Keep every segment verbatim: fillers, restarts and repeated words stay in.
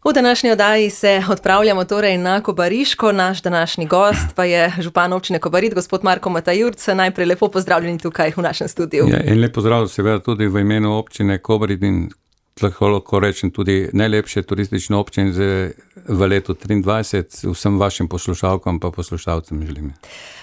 V današnji oddaji se odpravljamo torej na Kobariško, naš današnji gost pa je župan občine Kobarid, gospod Marko Matajurc. Najprej lepo pozdravljeni tukaj v našem studiu. Ja, in lep pozdrav seveda tudi v imenu občine Kobarid in lahko rečem tudi najlepše turistične občine v letu triindvajset, vsem vašim poslušalkam pa poslušalcem želim.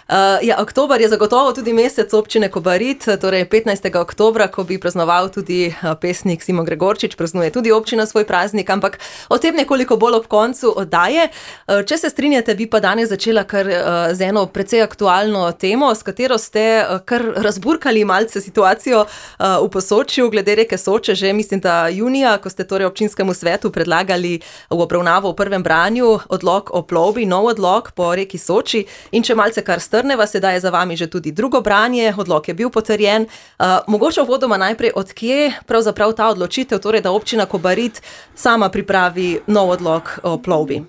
Uh, ja, oktober je zagotovo tudi mesec občine Kobarid, torej petnajstega oktobra, ko bi praznoval tudi pesnik Simon Gregorčič, praznuje tudi občina svoj praznik, ampak o tem nekoliko bolj ob koncu oddaje. Uh, če se strinjate, bi pa danes začela kar uh, z eno precej aktualno temo, s katero ste uh, kar razburkali malce situacijo uh, v Posočju glede reke Soče, že mislim, da junija, ko ste torej občinskemu svetu predlagali v obravnavo v prvem branju odlok o plovbi, nov odlok po reki Soči, in če malce kar strneva, sedaj je za vami že tudi drugo branje, odlok je bil potrjen. Uh, mogoče uvodoma najprej, odkje pravzaprav ta odločitev, torej da občina Kobarid sama pripravi nov odlok o plovbi?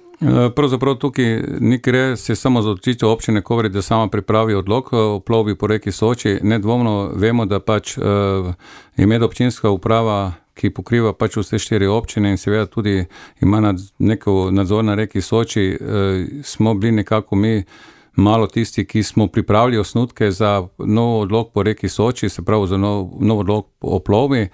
Pravzaprav tukaj ni gre se samo za odločitev občine Kobarid, da sama pripravi odlok o plovbi po reki Soči. Nedvomno vemo, da pač uh, je medobčinska uprava, ki pokriva pač vse štiri občine in seveda tudi ima nad, neko nadzor na reki Soči, uh, smo bili nekako mi malo tisti, ki smo pripravili osnutke za nov odlok po reki Soči, se pravi za nov, nov odlok o plovbi.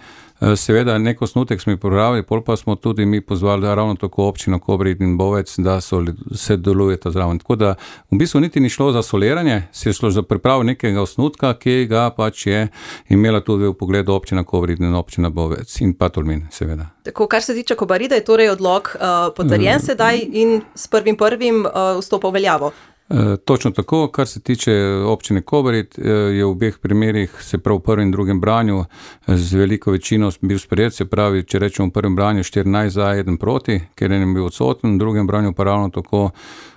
Seveda nek osnutek smo pripravili, pol pa smo tudi mi pozvali ravno tako občino Kobarid in Bovec, da so, se delujeta zraven. Tako da v bistvu niti ni šlo za soliranje, se je šlo za pripravo nekega osnutka, ki ga pač je imela tudi v pogledu občina Kobarid in občina Bovec in pa Tolmin, seveda. Tako, kar se tiče Kobarida, je torej odlok uh, potrjen uh, sedaj in s prvim prvim uh, vstopa v veljavo. E, točno tako, kar se tiče občine Kobarid, e, je v obeh primerih, se pravi v prvem in drugem branju, z veliko večino bil sprejet, se pravi, če rečemo v prvem branju štirinajst za, eden proti, ker je bil odsoten, v drugem branju pa ravno tako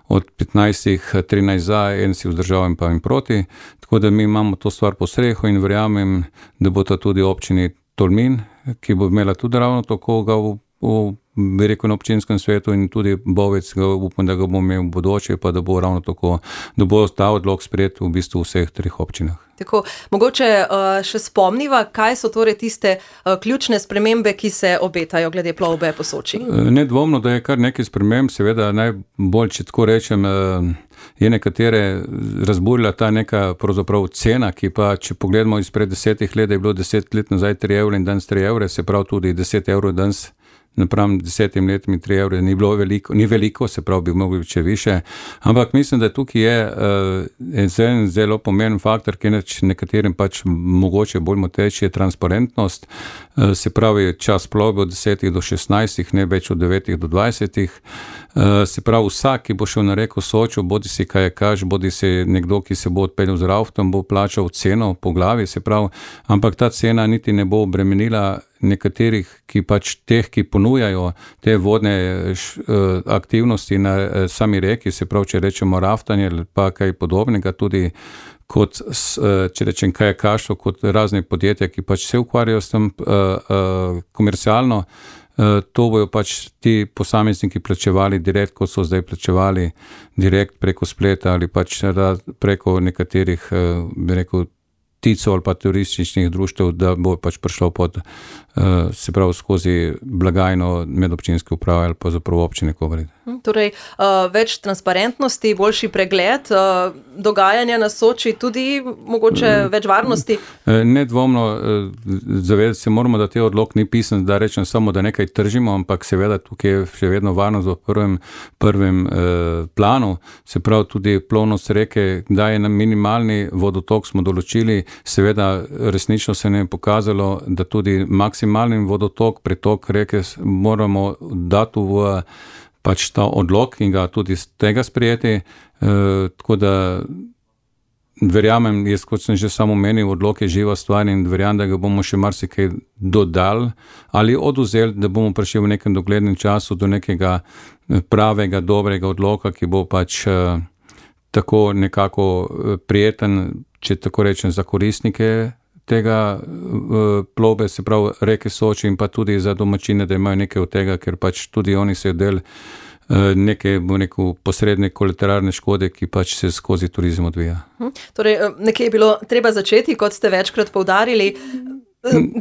od petnajstih trinajst za, en si vzdržal in pa in proti, tako da mi imamo to stvar po strehu in verjamem, da bo to tudi občini Tolmin, ki bo imela tudi ravno tako ga v, v bi rekel na občinskem svetu in tudi Bovec, ga upam, da ga bo imel v bodoče, pa da bo ravno tako, da bo ta odlok sprejet v bistvu v vseh treh občinah. Tako, mogoče uh, še spomniva, kaj so torej tiste uh, ključne spremembe, ki se obetajo glede plovbe po Soči? Nedvomno, da je kar nekaj sprememb, seveda najbolj, če tako rečem, uh, je nekatere razburila ta neka pravzaprav cena, ki pa, če pogledamo izpred desetih let, je bilo deset let nazaj tri evre in danes tri evre, se pravi tudi deset evrov danes napram desetim letom in tri evre ni bilo veliko, ni veliko, se pravi, bi mogli biti še više, ampak mislim, da tukaj je uh, en zelo pomemben faktor, ki neč nekaterim pač mogoče bolj moteč, je transparentnost, uh, se pravi čas plovbe od desetih do šestnajstih, ne več od devetih do dvajsetih, uh, se pravi vsak, ki bo šel na reko Sočo, bodi si kajakaš, bodi si nekdo, ki se bo odpeljal z raftom, bo plačal ceno po glavi, se pravi, ampak ta cena niti ne bo obremenila nekaterih, ki pač teh, ki ponujajo te vodne š, uh, aktivnosti na uh, sami reki, se pravi, če rečemo raftanje ali pa kaj podobnega, tudi kot, uh, če rečem kajakaštvo, kot razne podjetja, ki pač se ukvarjajo s tem uh, uh, komercialno, uh, to bojo pač ti posamezniki plačevali direkt, kot so zdaj plačevali direkt preko spleta ali pač preko nekaterih, uh, bi rekel, ticov ali pa turističnih društev, da bo pač prišlo pod, uh, se pravi, skozi blagajno medobčinske uprave ali pa zapravo občine Kobarid. Torej, uh, več transparentnosti, boljši pregled uh, dogajanja na Soči, tudi mogoče uh, več varnosti? Uh, nedvomno, uh, zavedati se moramo, da te odlok ni pisan, da rečem samo, da nekaj tržimo, ampak seveda tukaj je še vedno varnost v prvem, prvem uh, planu, se pravi tudi plovnost reke, da je na minimalni vodotok smo določili, seveda resnično se ne je pokazalo, da tudi maksimalni vodotok, pretok reke moramo dati v pač ta odlok in ga tudi z tega sprejeti, e, tako da verjamem, jaz kot sem že samo menil, odlok je živa stvar in verjamem, da ga bomo še marsikaj dodali ali oduzeli, da bomo prišli v nekem doglednem času do nekega pravega, dobrega odloka, ki bo pač e, tako nekako prijeten, če tako rečem, za koristnike tega uh, plovbe, se pravi reke Soči in pa tudi za domačine, da imajo nekaj od tega, ker pač tudi oni se del uh, neke, bo neko posredne kolateralne škode, ki pač se skozi turizem odvija. Hm. Torej, nekje je bilo treba začeti, kot ste večkrat poudarili.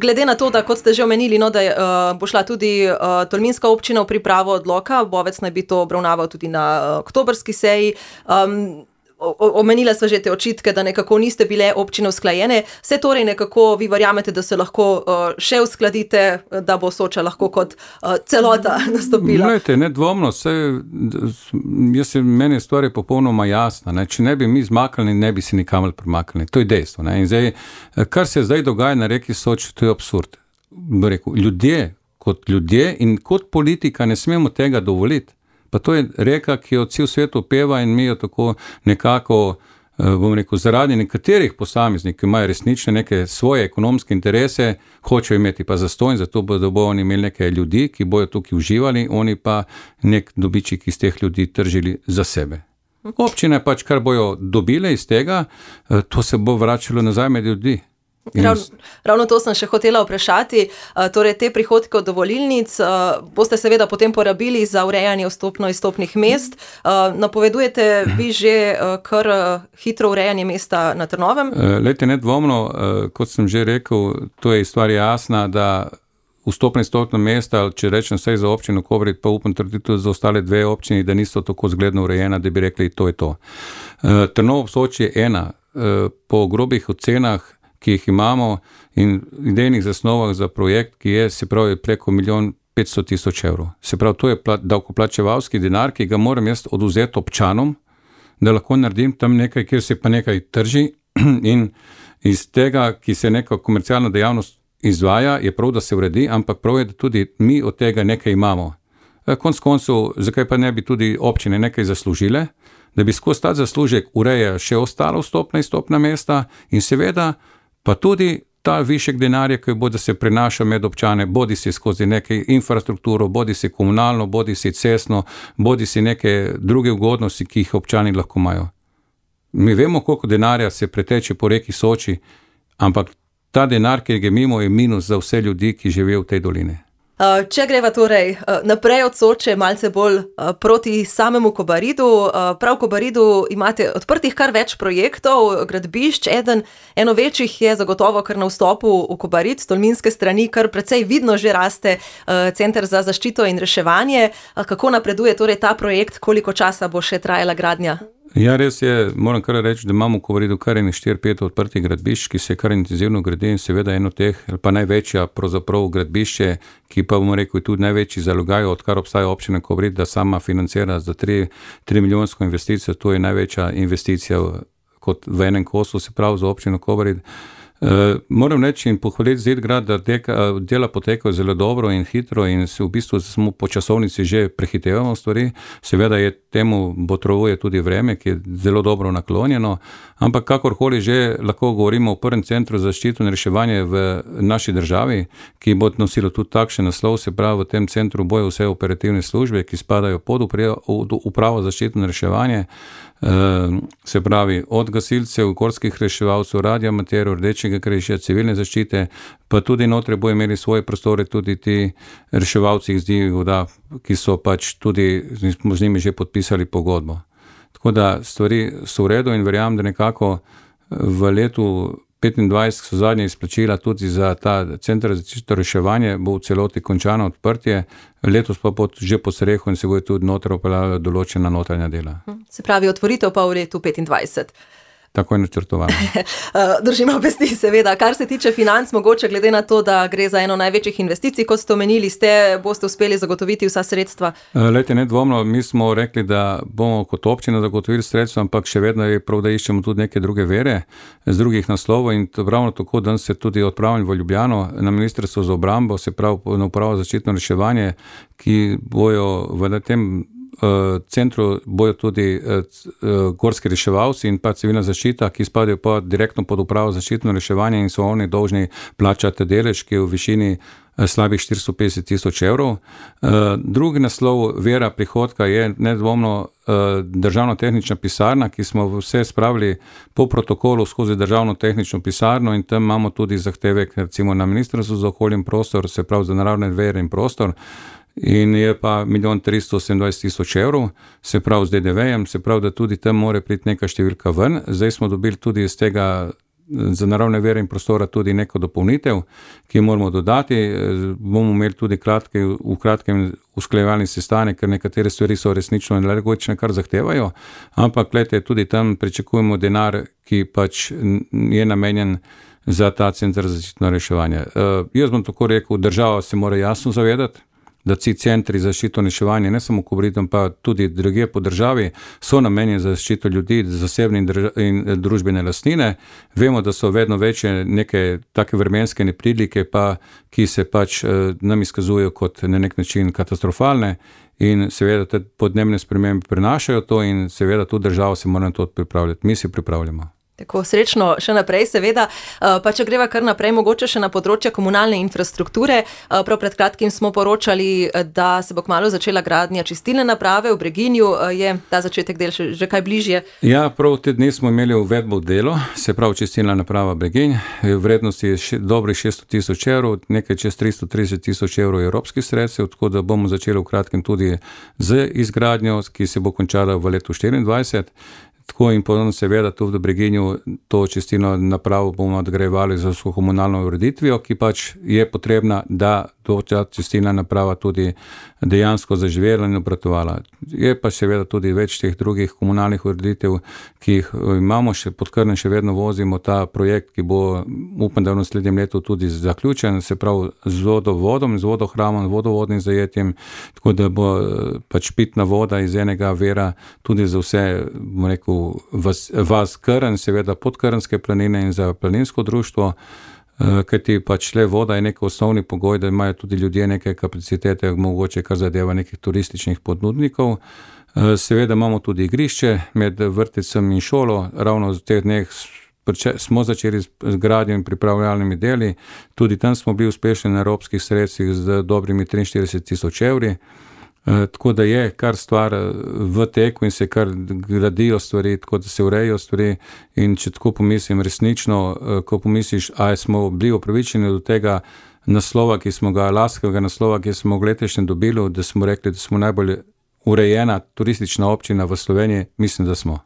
Glede na to, da kot ste že omenili, no, da je, uh, bo šla tudi uh, tolminska občina v pripravo odloka, Bovec naj bi to obravnaval tudi na uh, oktobrski seji. Um, Omenila sva že te očitke, da nekako niste bile občine usklajene. Vse torej nekako vi verjamete, da se lahko uh, še uskladite, da bo Soča lahko kot uh, celota nastopila? Glejte, nedvomno, vse, jaz se, meni je stvar je popolnoma jasna. Ne? Če ne bi mi zmaknili, ne bi se nikamor premaknili. To je dejstvo. Ne? In zdaj, kar se zdaj dogaja na reki Soči, to je absurd. Rekel, ljudje kot ljudje in kot politika ne smemo tega dovoliti. Pa to je reka, ki jo cel svet opeva in mi jo tako nekako, bom rekel, zaradi nekaterih posameznikov, ki imajo resnične neke svoje ekonomske interese, hočejo imeti pa zastonj, zato bodo bo oni imeli neke ljudi, ki bojo tukaj uživali, oni pa nek dobiček iz teh ljudi tržili za sebe. Občine pač, kar bojo dobile iz tega, to se bo vračalo nazaj med ljudi. Ravno, ravno to sem še hotela vprašati, torej te prihodke od dovolilnic boste seveda potem porabili za urejanje vstopno-izstopnih mest. Napovedujete vi že kar hitro urejanje mesta na Trnovem? Lejte, nedvomno, kot sem že rekel, to je stvar jasna, da vstopno-izstopna mesta, če rečem vse za občino Kobarid, pa upam trditi tudi za ostale dve občini, da niso tako zgledno urejena, da bi rekli, to je to. Trnovo ob Soči je ena, po grobih ocenah, ki jih imamo in idejnih zasnovah za projekt, ki je, se pravi, preko milijon petsto tisoč evrov. Se pravi, to je davkoplačevalski denar, ki ga moram jaz odvzeti občanom, da lahko naredim tam nekaj, kjer se pa nekaj trži in iz tega, ki se neka komercialna dejavnost izvaja, je prav, da se uredi, ampak prav je, da tudi mi od tega nekaj imamo. Konec koncev, zakaj pa ne bi tudi občine nekaj zaslužile, da bi skozi ta zaslužek ureja še ostalo vstopna in izstopna mesta in seveda pa tudi ta višek denarja, ki bo, da se prenaša med občane, bodi si skozi nekaj infrastrukturo, bodi si komunalno, bodi si cestno, bodi si neke druge ugodnosti, ki jih občani lahko imajo. Mi vemo, koliko denarja se preteče po reki Soči, ampak ta denar, ki ga mimo, je minus za vse ljudi, ki živijo v tej dolini. Če greva torej naprej od Soče, malce bolj proti samemu Kobaridu, prav v Kobaridu imate odprtih kar več projektov, gradbišč, eden, eno večjih je zagotovo kar na vstopu v Kobarid, s tolminske strani, kar precej vidno že raste Center za zaščito in reševanje. Kako napreduje torej ta projekt, koliko časa bo še trajala gradnja? Ja, res je, moram kar reči, da imamo v Kobaridu kar ene štiri pet odprtih gradbišč, ki se kar intenzivno gradi in seveda eno teh, pa največja pravzaprav gradbišče, ki pa bomo rekel tudi največji zalogaj, odkar obstaja občina Kobarid, da sama financira za tri milijonsko investicijo, to je največja investicija kot v enem kosu, se pravi za občino Kobarid. Uh, moram reči in pohvaliti Zidgrad, da deka, dela potekajo zelo dobro in hitro in se v bistvu smo po časovnici že prehitevamo stvari. Seveda je temu botrovuje tudi vreme, ki je zelo dobro naklonjeno, ampak kakorkoli že lahko govorimo o prvem centru za zaščito in reševanje v naši državi, ki bo nosilo tudi takšen naslov, se pravi v tem centru bojo vse operativne službe, ki spadajo pod upravo za zaščito in reševanje, uh, se pravi od gasilcev, gorskih reševalcev, radioamaterjev, Rdečega križa, civilne zaščite, pa tudi notre bo imeli svoje prostore tudi ti reševalci iz divjih voda, ki so pač tudi z njimi že podpisali pogodbo. Tako da stvari so v redu in verjamem, da nekako v letu petindvajset so zadnje izplačila tudi za ta center za zaščito reševanje, bo v celoti končano odprtje, letos pa pod, že po strehu in se bo tudi noter opeljala določena notranja dela. Se pravi, otvoritev pa v letu petindvajset. Tako je načrtovano. Držimo pesti, seveda. Kar se tiče financ, mogoče glede na to, da gre za eno največjih investicij, kot ste omenili, ste, boste uspeli zagotoviti vsa sredstva? Lejte, nedvomno, mi smo rekli, da bomo kot občina zagotovili sredstva, ampak še vedno je prav, da iščemo tudi neke druge vere z drugih naslovov in ravno tako, da se tudi odpravim v Ljubljano na Ministrstvo za obrambo, se pravi na upravo za zaščitno reševanje, ki bojo v tem centru bojo tudi gorski reševalci in pa civilna zaščita, ki spadajo pa direktno pod upravo za zaščitno reševanje in so oni dolžni plačati delež, ki je v višini slabih štiristo petdeset tisoč evrov. Drugi naslov vera prihodka je nedvomno državno tehnična pisarna, ki smo vse spravili po protokolu skozi državno tehnično pisarno in tam imamo tudi zahtevek recimo na Ministrstvu za okolje in prostor, se pravi za naravne vere in prostor, in je pa milijon tristo sedemindvajset tisoč evrov, se pravi z D D V-jem, se pravi, da tudi tam mora priti neka številka ven. Zdaj smo dobili tudi iz tega za naravne vire in prostora tudi neko dopolnitev, ki moramo dodati. Bomo imeli tudi kratke, v kratkem usklajevalni sestanek, ker nekatere stvari so resnično nelogične, kar zahtevajo, ampak glede, tudi tam pričakujemo denar, ki pač je namenjen za ta center za zaščitno reševanje. Uh, jaz bom tako rekel, država se mora jasno zavedati, da ti centri za zaščito in reševanje, ne samo Kobaritom, pa tudi drugje po državi, so namenjeni za zaščito ljudi, zasebne in, drža- in družbene lastnine. Vemo, da so vedno večje neke take vremenske neprilike, pa, ki se pač uh, nam izkazujejo kot na nek način katastrofalne in seveda te podnebne spremembe prenašajo to in seveda tudi država se mora na to pripravljati. Mi se pripravljamo. Tako srečno še naprej, seveda, pa če greva kar naprej, mogoče še na področje komunalne infrastrukture. Prav pred kratkim smo poročali, da se bo kmalu začela gradnja čistilne naprave v Breginju. Je ta začetek del še, že kaj bližje? Ja, prav te dni smo imeli uvedbo v delo, se pravi čistilna naprava Breginj. Vrednosti je še, dobrih šeststo tisoč evrov, nekaj čez tristo trideset tisoč evrov evropskih sredstev, tako da bomo začeli v kratkem tudi z izgradnjo, ki se bo končala v letu štiriindvajset. Tako in podobno seveda tudi v Breginju to čistilno napravo bomo nadgrajevali z vso komunalno ureditvijo, ki pač je potrebna, da to čistilna naprava tudi dejansko zaživela in obratovala. Je pa seveda tudi več teh drugih komunalnih ureditev, ki jih imamo, še pod Krnem še vedno vozimo ta projekt, ki bo, upam, da v naslednjem letu tudi zaključen, se pravi z vodovodom, z vodohramom, vodovodnim zajetjem, tako da bo pač pitna voda iz enega vira tudi za vse, bom rekel, vas, vas Krn, seveda podkrnske planine in za planinsko društvo, kajti pač le voda je nek osnovni pogoj, da imajo tudi ljudje neke kapacitete, mogoče kar zadeva nekih turističnih ponudnikov. Seveda imamo tudi igrišče med vrtcem in šolo, ravno v teh dneh smo začeli z gradnjo in pripravljalnimi deli, tudi tam smo bili uspešni na evropskih sredstvih z dobrimi triinštirideset tisoč evri. Tako da je kar stvar v teku in se kar gradijo stvari, tako da se urejajo stvari in če tako pomislim resnično, ko pomisliš, a smo bili upravičeni do tega naslova, ki smo ga, laskavega naslova, ki smo ga letošnje dobili, da smo rekli, da smo najbolj urejena turistična občina v Sloveniji, mislim, da smo.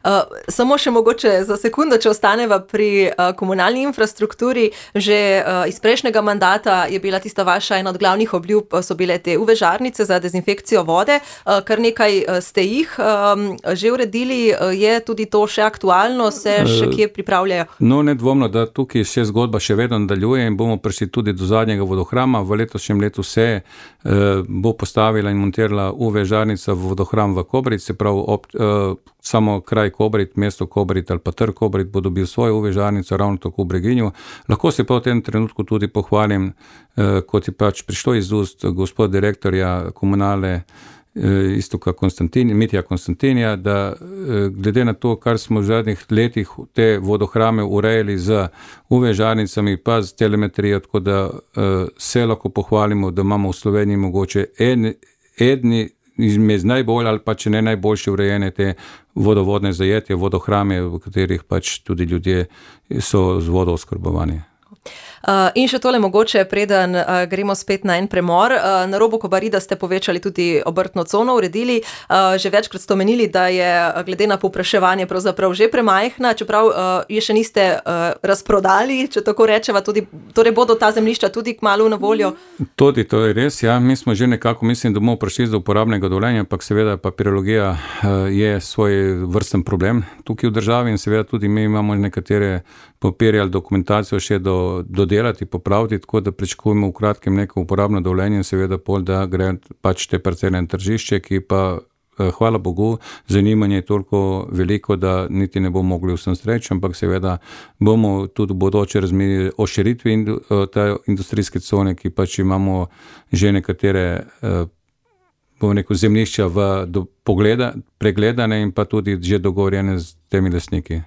Uh, samo še mogoče za sekundo, če ostaneva pri uh, komunalni infrastrukturi. Že uh, iz prejšnjega mandata je bila tista vaša ena od glavnih obljub, so bile te U V žarnice za dezinfekcijo vode. Uh, kar nekaj uh, ste jih um, že uredili. Uh, je tudi to še aktualno? Se še kje pripravljajo? No, nedvomno, da tukaj še zgodba še vedno nadaljuje in bomo prišli tudi do zadnjega vodohrama. V letošnjem letu se uh, bo postavila in montirala U V žarnica v vodohram v Kobarid, se pravi ob, uh, samo kraj Kobarid, mesto Kobarid ali pa trg Kobarid bo dobil svojo U V žarnico ravno tako v Breginju. Lahko se pa v tem trenutku tudi pohvalim, eh, kot je pač prišlo iz ust gospod direktorja komunale eh, Iztoka Konstantin, Mitja Konstantinija, da eh, glede na to, kar smo v zadnjih letih te vodohrame urejali z U V žarnicami pa z telemetrijo, tako da eh, se lahko pohvalimo, da imamo v Sloveniji mogoče en, edni izmed najbolj ali pa če ne najboljše urejene te vodovodne zajetje, vodohrame, v katerih pač tudi ljudje so z vodo oskrbovani. Uh, in še tole mogoče, preden uh, gremo spet na en premor. Uh, na robu Kobarida ste povečali tudi obrtno cono, uredili. Uh, že večkrat ste omenili, da je glede na povpraševanje pravzaprav že premajhna, čeprav uh, je še niste uh, razprodali, če tako rečeva, tudi, torej bodo ta zemljišča tudi kmalu na voljo? Tudi to je res, ja. Mi smo že nekako, mislim, da bomo prišli do uporabnega dovoljenja, ampak seveda papirologija uh, je svoj vrsten problem tukaj v državi in seveda tudi mi imamo nekatere papirje ali dokumentacijo še do, dodelati, popraviti, tako da pričakujemo v kratkem neko uporabno dovoljenje in seveda pol, da gre pač te parcele na tržišče, ki pa, hvala Bogu, zanimanje je toliko veliko, da niti ne bomo mogli vsem streči, ampak seveda bomo tudi v bodoče razmišljali o širitvi in, te industrijske cone, ki pač imamo že nekatere bom rekel, zemljišča v do, pogleda, pregledane in pa tudi že dogovorjene z temi lastniki.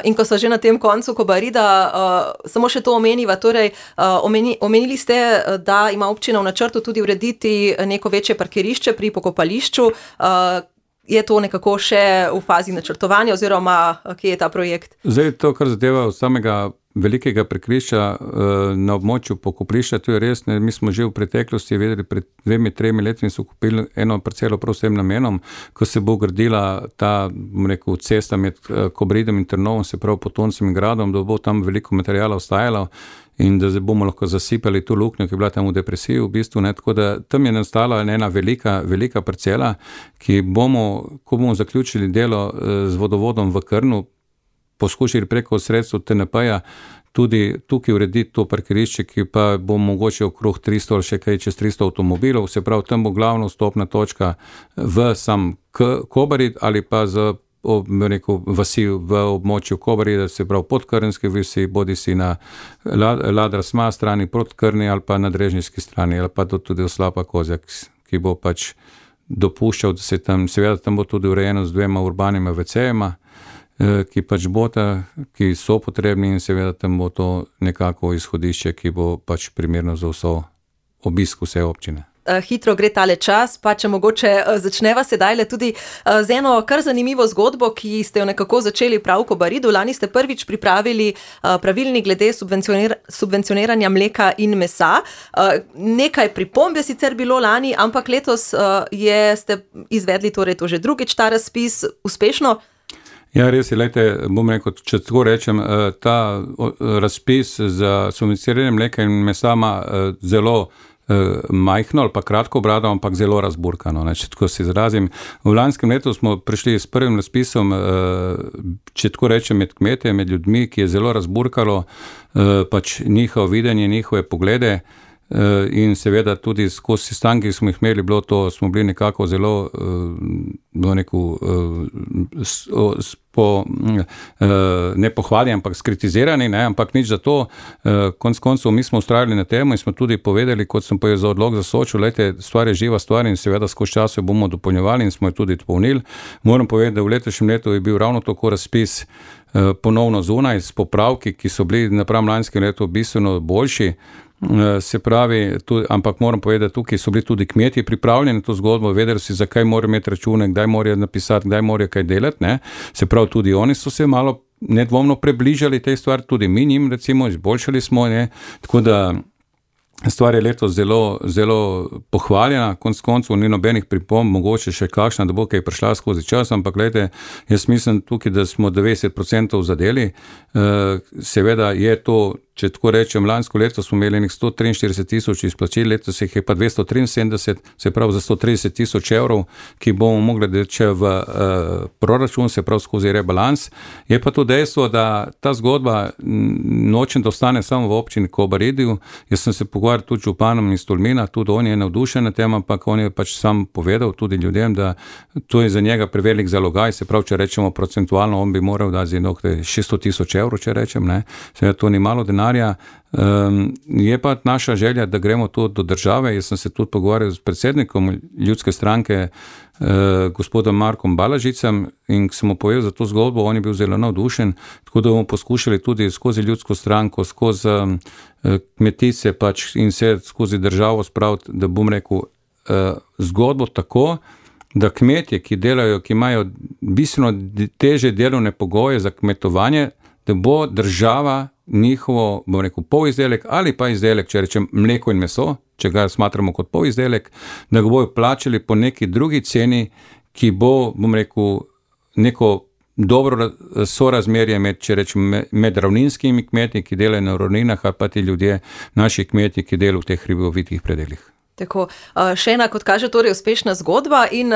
In ko so že na tem koncu Kobarida, uh, samo še to omeniva, torej uh, omeni, omenili ste, da ima občina v načrtu tudi urediti neko večje parkirišče pri pokopališču. Uh, je to nekako še v fazi načrtovanja oziroma kje je ta projekt? Zdaj to, kar zadeva od samega velikega prekrišča na območju pokopališča, to je res, ne, mi smo že v preteklosti vedeli, pred dvemi, tremi letmi so kupili eno parcelo prav s tem namenom, ko se bo gradila ta, bom rekel, cesta med Kobaridim in Trnovom, se pravi Potoncem in Gradom, da bo tam veliko materijala ostajalo in da bomo lahko zasipali to luknjo, ki je bila tam v depresiji v bistvu, ne, tako da tam je nastala ena velika, velika parcela, ki bomo, ko bomo zaključili delo z vodovodom v Krnu, poskušali preko sredstv T N P-ja tudi tukaj urediti to parkirišče, ki pa bo mogoče okrog tristo ali še kaj čez tristo avtomobilov, se pravi, tam bo glavna vstopna točka v sam Kobarid ali pa z rekel, vasi v območju Kobarida, se pravi podkrnske vasi, bodi si na Ladra-Sma strani proti Krni ali pa na Drežniški strani ali pa tudi Oslapa Kozjak, ki bo pač dopuščal, da se tam, seveda tam bo tudi urejeno z dvema urbanima vecejema, ki pač bota, ki so potrebni in seveda tam bo to nekako izhodišče, ki bo pač primerno za vso obisk vse občine. Hitro gre tale čas, pa če mogoče začneva sedaj le tudi z eno kar zanimivo zgodbo, ki ste jo nekako začeli prav v Kobaridu. Lani ste prvič pripravili pravilnik glede subvencionir- subvencioniranja mleka in mesa. Nekaj pripomb je sicer bilo lani, ampak letos je, ste izvedli torej to že drugič ta razpis uspešno. Ja, res je, lejte, bom rekel, če tako rečem, ta razpis za subvencioniranje mleka in mesa ima zelo majhno ali pa kratko brado, ampak zelo razburkano, ne, če tako se izrazim. V lanskem letu smo prišli s prvim razpisom, če tako rečem, med kmete, med ljudmi, ki je zelo razburkalo pač njihovo videnje, njihove poglede in seveda tudi skozi sestanke, ki smo jih imeli, bilo to, smo bili nekako zelo bilo neko po, ne pohvali, ampak skritizirani, ne, ampak nič za to. Konec koncev mi smo ustrajali na temo in smo tudi povedali, kot sem povedal za odlog za Sočo, lejte, stvar je živa stvar in seveda skozi čas jo bomo dopolnjevali in smo jo tudi dopolnili. Moram povedati, da v letošnjem letu je bil ravno tako razpis ponovno zunaj s popravki, ki so bili napram lanskem letu bistveno boljši. Se pravi, tudi, ampak moram povedati, tukaj so bili tudi kmetje pripravljeni na to zgodbo, vedeli si, zakaj morajo imeti račune, kdaj morajo napisati, kdaj morajo kaj delati, ne. Se pravi, tudi oni so se malo nedvomno približali tej stvari, tudi mi njim, recimo, izboljšali smo, ne, tako da stvar je letos zelo, zelo pohvaljena, konec koncev ni nobenih pripomb, mogoče še kakšna, da bo kaj prišla skozi čas, ampak gledajte, jaz mislim tukaj, da smo devetdeset procentov zadeli, seveda je to, če tako rečem, lansko leto smo imeli nek sto triinštirideset tisoč izplačil, letos jih je pa dvesto triinsedemdeset, se pravi za sto trideset tisoč evrov, ki bomo mogli deče v uh, proračun, se pravi skozi rebalans. Je pa to dejstvo, da ta zgodba nočem, da ostane samo v občini Kobaridiju. Jaz sem se pogovarjal tudi z županom iz Tolmina, tudi on je navdušen na tem, ampak on je pač sam povedal tudi ljudem, da to je za njega prevelik zalogaj, se pravi, če rečemo procentualno, on bi moral dati za šeststo tisoč evrov, če rečem, ne. Seveda to ni malo denarja. Um, je pa naša želja, da gremo to do države. Jaz sem se tudi pogovarjal s predsednikom ljudske stranke, uh, gospodom Markom Balažicem, in sem mu povedal za to zgodbo, on je bil zelo navdušen, tako da bomo poskušali tudi skozi ljudsko stranko, skozi um, kmetice pač in se skozi državo spraviti, da bom rekel uh, zgodbo tako, da kmetje, ki delajo, ki imajo bistveno teže delovne pogoje za kmetovanje, da bo država njihovo, bom rekel, polizdelek ali pa izdelek, če rečem mleko in meso, če ga smatramo kot polizdelek, da ga bojo plačali po neki drugi ceni, ki bo, bom rekel, neko dobro sorazmerje med, če rečem, med ravninskimi kmeti, ki delajo na ravninah, ali pa ti ljudje, naši kmeti, ki delajo v teh hribovitih predelih. Tako, še ena, kot kaže, torej uspešna zgodba in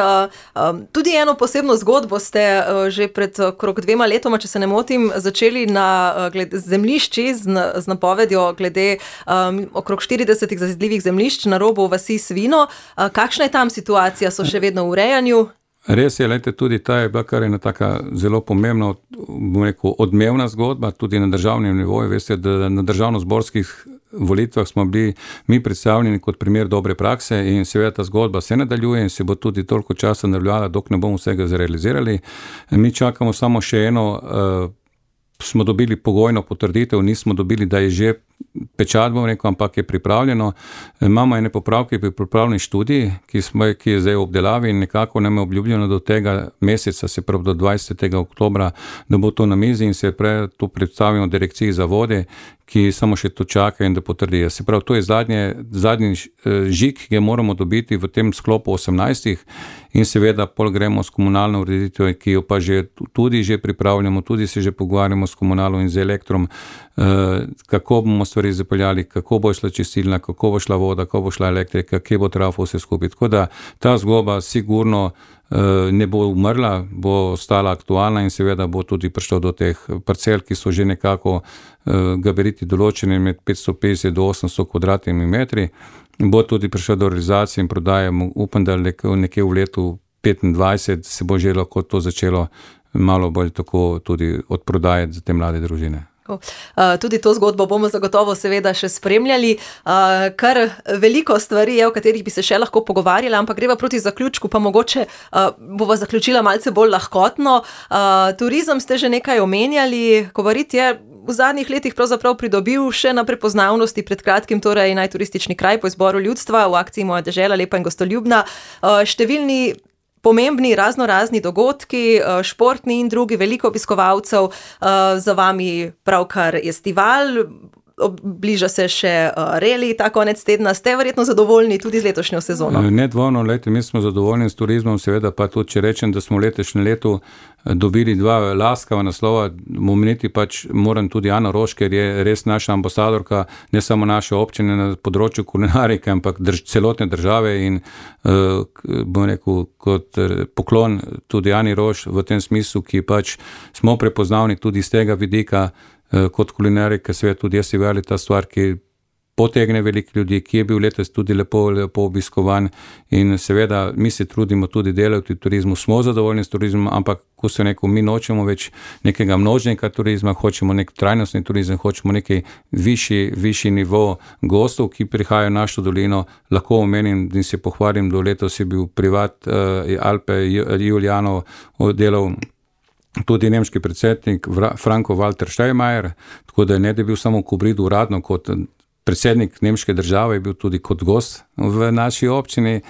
tudi eno posebno zgodbo ste že pred okrog dvema letoma, če se ne motim, začeli na glede zemljišči z, z napovedjo glede um, okrog štiridesetih zazidljivih zemljišč na robu vasi Svino. Kakšna je tam situacija? So še vedno v urejanju? Res je, lejte, tudi ta je bila kar ena taka zelo pomembna, bom rekel, odmevna zgodba, tudi na državnem nivoju. Veste, da na državnozborskih volitvah smo bili mi predstavljeni kot primer dobre prakse in seveda ta zgodba se nadaljuje in se bo tudi toliko časa nadaljala, dok ne bomo vsega zrealizirali. Mi čakamo samo še eno, uh, smo dobili pogojno potrditev, nismo dobili, da je že pečat, bom rekel, ampak je pripravljeno. Imamo ene popravke pri pripravljeni študiji, ki, smo, ki je zdaj v obdelavi in nekako nam je obljubljeno do tega meseca, se pravi do dvajsetega oktobra, da bo to na mizi in se pre, to predstavimo direkciji za vode, ki samo še to čaka in da potrdijo. Se pravi, to je zadnje, zadnji žig, ki ga moramo dobiti v tem sklopu osemnajstih in seveda pol gremo s komunalno ureditev, ki jo pa že, tudi že pripravljamo, tudi se že pogovarjamo s komunalom in z elektrom, kako bomo stvari zapeljali, kako bo šla čistilna, kako bo šla voda, kako bo šla elektrika, kje bo trafo vse skupaj. Tako da ta zgodba sigurno ne bo umrla, bo ostala aktualna in seveda bo tudi prišlo do teh parcel, ki so že nekako gabariti določeni med petsto petdeset do osemsto kvadratnimi metri. Bo tudi prišlo do realizacije in prodaje, upam, da nekje v letu petindvajset se bo že lahko to začelo malo bolj tako tudi odprodajati za te mlade družine. Uh, tudi to zgodbo bomo zagotovo seveda še spremljali. Uh, kar veliko stvari je, o katerih bi se še lahko pogovarjala, ampak greva proti zaključku, pa mogoče uh, bova zaključila malce bolj lahkotno. Uh, turizem ste že nekaj omenjali, Kobarid je v zadnjih letih pravzaprav pridobil še na prepoznavnosti, pred kratkim torej najturistični kraj po izboru ljudstva v akciji Moja dežela, lepa in gostoljubna. Uh, številni pomembni razno razni dogodki, športni in drugi, veliko obiskovalcev, za vami pravkar festival, bliža se še reli ta konec tedna. Ste verjetno zadovoljni tudi z letošnjo sezono? Nedvomno, lejte, mi smo zadovoljni s turizmom, seveda pa tudi, če rečem, da smo letošnje leto dobili dva laskava naslova, omeniti pač moram tudi Ano Roš, ker je res naša ambasadorka, ne samo naše občine na področju kulinarike, ampak drž, celotne države in uh, bom rekel, kot poklon tudi Ani Roš v tem smislu, ki pač smo prepoznavni tudi iz tega vidika, uh, kot kulinarika, svet tudi jaz je veli ta stvar, ki potegne veliko ljudi, ki je bil letos tudi lepo, lepo obiskovan in seveda mi se trudimo tudi delati v turizmu, smo zadovoljni s turizmom, ampak ko se neko, mi nočemo več nekega množnega turizma, hočemo nek trajnostni turizem, hočemo neki višji, višji nivo gostov, ki prihajajo v našo dolino. Lahko omenim in se pohvalim, do letos je bil privat uh, Alpe Julijanov delal tudi nemški predsednik Franco-Walter Steinmeier, tako da ne da je bil samo v Kobridu uradno kot predsednik nemške države, je bil tudi kot gost v naši občini.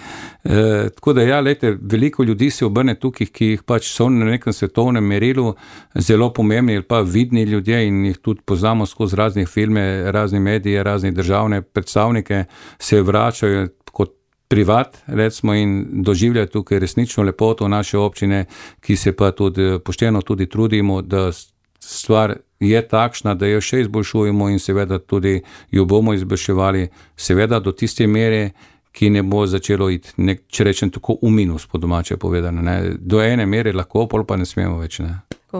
E, tako da ja, lejte, veliko ljudi se obrne tukaj, ki jih pač so na nekem svetovnem merilu zelo pomembni ali pa vidni ljudje in jih tudi poznamo skozi raznih filme, razne medije, razne državne predstavnike, se vračajo kot privat, recimo, in doživljajo tukaj resnično lepoto naše občine, ki se pa tudi pošteno tudi trudimo, da stvar je takšna, da jo še izboljšujemo in seveda tudi jo bomo izboljševali, seveda do tiste mere, ki ne bo začelo iti, nek, če rečem tako, v minus, po domače povedano. Ne. Do ene mere lahko, pol pa ne smemo več. Ne.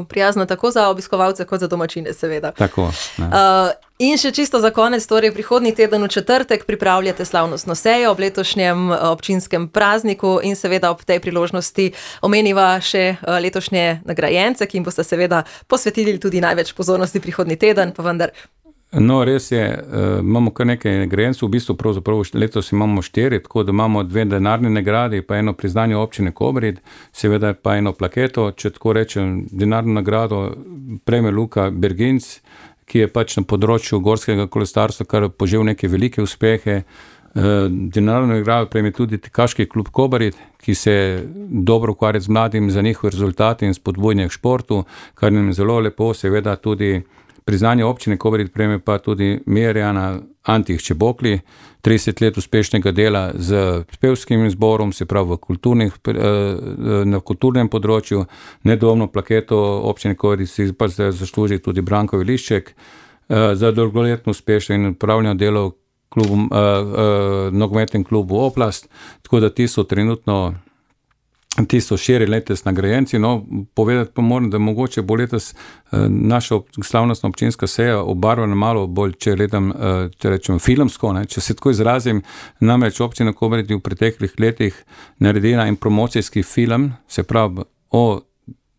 Prijazno tako za obiskovalce, kot za domačine, seveda. Tako. Uh, in še čisto za konec, torej prihodnji teden v četrtek pripravljate slavnostno sejo ob letošnjem občinskem prazniku in seveda ob tej priložnosti omeniva še letošnje nagrajence, ki jim boste seveda posvetili tudi največ pozornosti prihodnji teden, pa vendar. No, res je, uh, imamo kar nekaj nagrajencev, v bistvu pravzaprav letos imamo štiri, tako da imamo dve denarne nagradi, pa eno priznanje občine Kobarid, seveda pa eno plaketo, če tako rečem, denarno nagrado prejme Luka Berginc, ki je pač na področju gorskega kolesarstva kar požel neke velike uspehe. Uh, denarno nagrado prejme tudi Tekaški klub Kobarid, ki se dobro ukvarja z mladim za njihove rezultate in spodbujanje k športu, kar nam je zelo lepo, seveda tudi priznanje občine Kobarid prejme pa tudi Mirjana Antih Čebokli, trideset let uspešnega dela z pevskim zborom, se pravi v kulturnih, na kulturnem področju. Nedvomno plaketo občine Kobarid si pa zasluži tudi Branko Vilišček za dolgoletno uspešno in upravljeno delo klubu, nogometnem klubu Oplast, tako da ti so trenutno Ti so širi letos nagrajenci, no, povedati pa moram, da mogoče bo letos eh, naša slavnostna občinska seja obarvana malo bolj, če gledam, eh, če rečem, filmsko, ne, če se tako izrazim, namreč občina Kobarid v preteklih letih naredila in promocijski film, se pravi o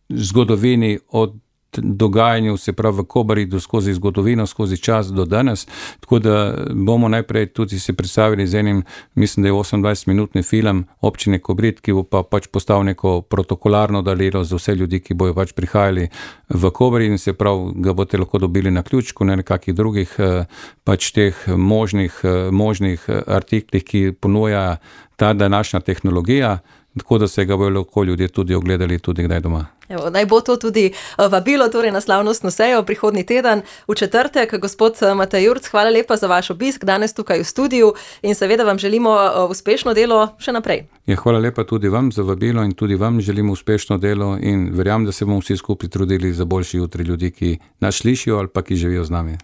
zgodovini, o dogajanju, se pravi v Kobaridu, skozi zgodovino, skozi čas do danes, tako da bomo najprej tudi se predstavili z enim, mislim, da je osemindvajsetminutni film občine Kobarid, ki bo pa pač postal neko protokolarno darilo za vse ljudi, ki bojo pač prihajali v Kobarid in se pravi, ga boste lahko dobili na ključku, na nekakih drugih pač teh možnih, možnih artiklih, ki ponuja ta današnja tehnologija, tako da se ga bojo lahko ljudje tudi ogledali tudi kdaj doma. Evo, naj bo to tudi vabilo torej na slavnostno sejo prihodnji teden v četrtek. Gospod Matej Jurc, hvala lepa za vaš obisk danes tukaj v studiu in seveda vam želimo uspešno delo še naprej. Ja, hvala lepa tudi vam za vabilo in tudi vam želimo uspešno delo in verjamem, da se bomo vsi skupaj trudili za boljši jutri ljudi, ki nas slišijo ali pa ki živijo z nami.